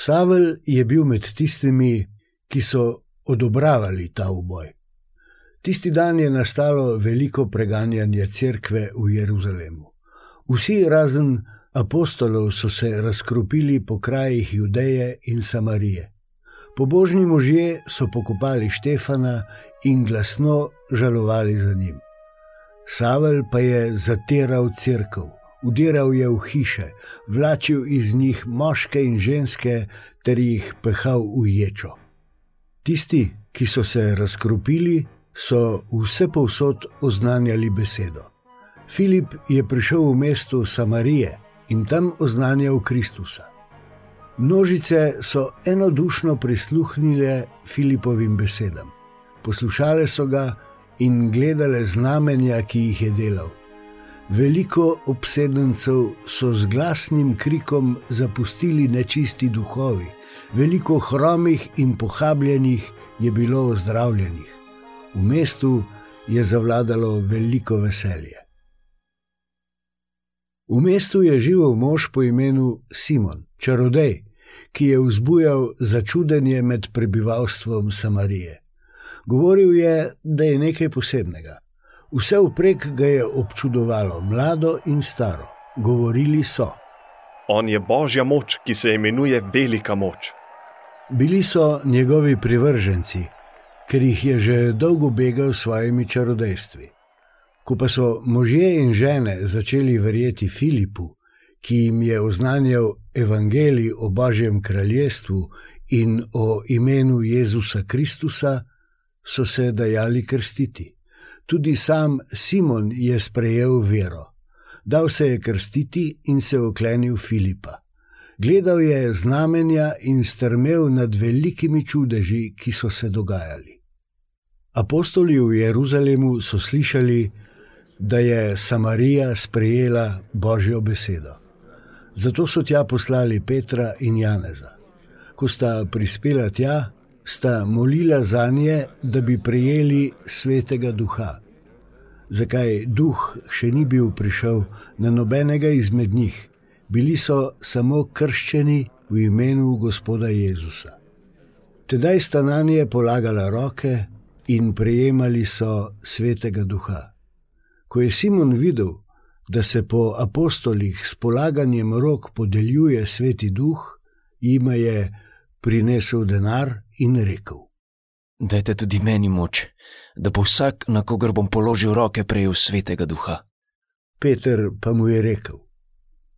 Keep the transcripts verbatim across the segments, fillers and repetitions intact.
Savel je bil med tistimi, ki so odobravali ta uboj. Tisti dan je nastalo veliko preganjanje cerkve v Jeruzalemu. Vsi razen apostolov so se razkropili po krajih Judeje in Samarije. Pobožni možje so pokopali Štefana in glasno žalovali za njim. Savel pa je zatiral cerkev, vdiral je v hiše, vlačil iz njih moške in ženske ter jih pehal v ječo. Tisti, ki so se razkropili, so vsepovsod oznanjali besedo. Filip je prišel v mesto Samarije in tam oznanjal Kristusa. Množice so enodušno prisluhnile Filipovim besedam. Poslušale so ga in gledale znamenja, ki jih je delal. Veliko obsedencev so z glasnim krikom zapustili nečisti duhovi, veliko hromih in pohabljenih je bilo ozdravljenih. V mestu je zavladalo veliko veselje. V mestu je živel mož po imenu Simon, čarodej, ki je vzbujal začudenje med prebivalstvom Samarije. Govoril je, da je nekaj posebnega. Vse vprek ga je občudovalo, mlado in staro. Govorili so: On je Božja moč, ki se imenuje Velika moč. Bili so njegovi privrženci, ker jih je že dolgo begal s svojimi čarodejstvi. Ko pa so možje in žene začeli verjeti Filipu, ki jim je oznanjal evangelij o Božjem kraljestvu in o imenu Jezusa Kristusa, so se dajali krstiti. Tudi sam Simon je sprejel vero. Dal se je krstiti in se oklenil Filipa. Gledal je znamenja in strmel nad velikimi čudeži, ki so se dogajali. Apostoli v Jeruzalemu so slišali, da je Samarija sprejela Božjo besedo. Zato so tja poslali Petra in Janeza. Ko sta prispela tja, sta molila zanje, da bi prejeli Svetega Duha. Zakaj duh še ni bil prišel na nobenega izmed njih? Bili so samo krščeni v imenu Gospoda Jezusa. Tedaj sta nanje polagala roke in prejemali so Svetega Duha. Ko je Simon videl, da se po apostolih s polaganjem rok podeljuje Sveti Duh, jima je prinesel denar in rekel: Dajte tudi meni moč, da bo vsak, na kogar bom položil roke, prejel Svetega Duha. Peter pa mu je rekel: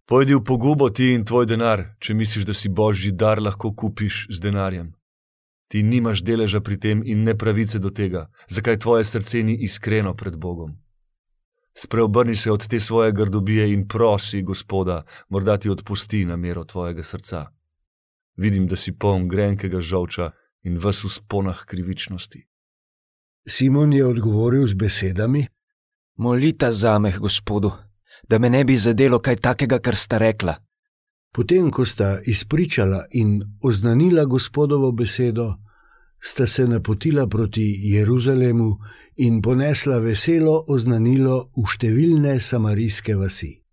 Pojdi v pogubo ti in tvoj denar, če misliš, da si Božji dar lahko kupiš z denarjem. Ti nimaš deleža pri tem in ne pravice do tega, zakaj tvoje srce ni iskreno pred Bogom. Spreobrni se od te svoje grdobije in prosi Gospoda, morda ti odpusti namero tvojega srca. Vidim, da si poln grenkega žolča in ves v sponah krivičnosti. Simon je odgovoril z besedami: Molita zame, Gospodu, da me ne bi zadelo kaj takega, kar sta rekla. Potem, ko sta izpričala in oznanila Gospodovo besedo, sta se napotila proti Jeruzalemu in ponesla veselo oznanilo v številne samarijske vasi.